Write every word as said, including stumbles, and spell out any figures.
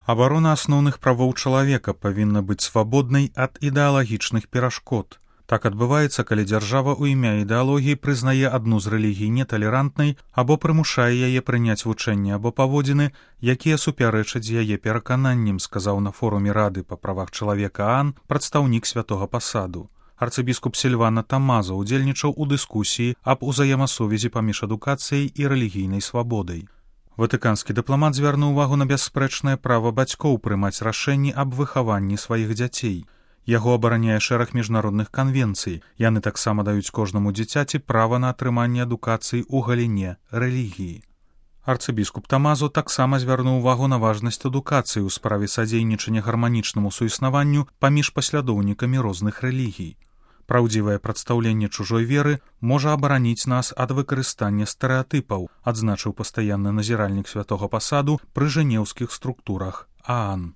Абарона асноўных правоў чалавека павінна быць свабоднай ад ідэалагічных перашкод. Так адбываецца, калі дзяржава ў імя ідэалогіі прызнае адну з рэлігій неталерантнай або прымушае яе прыняць вучэнні або паводзіны, якія супярэчаць яе перакананням, сказаў на форуме Рады па правах чалавека ААН прадстаўнік святога пасаду. Арцыбіскуп Сільвана Тамаза ўдзельнічаў у дыскусіі аб узаемасувязі паміж адукацыяй і рэлігійнай свабодай. Ватыканскі дыпламат звярнуў увагу на бясспрэчнае права бацькоў прымаць рашэнні аб выхаванні сваіх дзяцей. Яго абараняе шэраг міжнародных канвенцый. Яны таксама даюць кожнаму дзіцяці права на атрыманне адукацыі ў галіне рэлігіі. Арцыбіскуп Тамазо таксама звярнуў увагу на важнасць адукацыі ў справе садзейнічання гарманічнаму суіснаванню паміж паслядоўнікамі розных рэлігій. Праўдзівае прадстаўленне чужой веры можа абараніць нас ад выкарыстання стэрэатыпаў, адзначыў пастаянны назіральнік святога пасаду пры жэнеўскіх структурах ААН.